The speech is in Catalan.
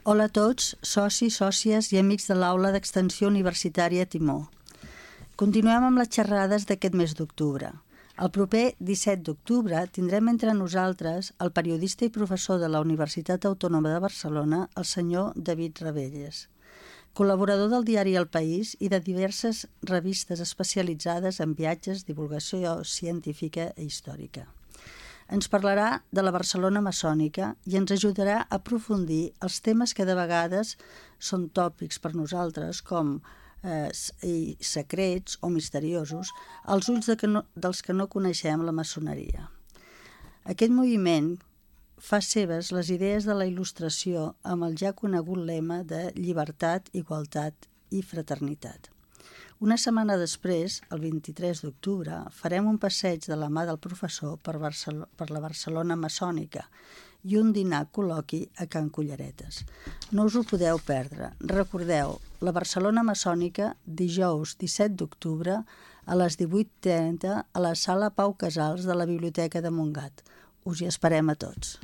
Hola a tots, socis, sòcies i amics de l'Aula d'Extensió Universitària Timó. Continuem amb les xerrades d'aquest mes d'octubre. El proper 17 d'octubre tindrem entre nosaltres el periodista i professor de la Universitat Autònoma de Barcelona, el senyor David Ravelles, col·laborador del diari El País i de diverses revistes especialitzades en viatges, divulgació científica i històrica. Ens parlarà de la Barcelona maçònica i ens ajudarà a aprofundir els temes que de vegades són tòpics per nosaltres, com secrets o misteriosos, als ulls dels que no coneixem la maçoneria. Aquest moviment fa seves les idees de la il·lustració amb el ja conegut lema de llibertat, igualtat i fraternitat. Una setmana després, el 23 d'octubre, farem un passeig de la mà del professor per la Barcelona maçònica i un dinar col·loqui a Can Culleretes. No us ho podeu perdre. Recordeu, la Barcelona maçònica, dijous 17 d'octubre a les 18:30 a la sala Pau Casals de la Biblioteca de Montgat. Us hi esperem a tots.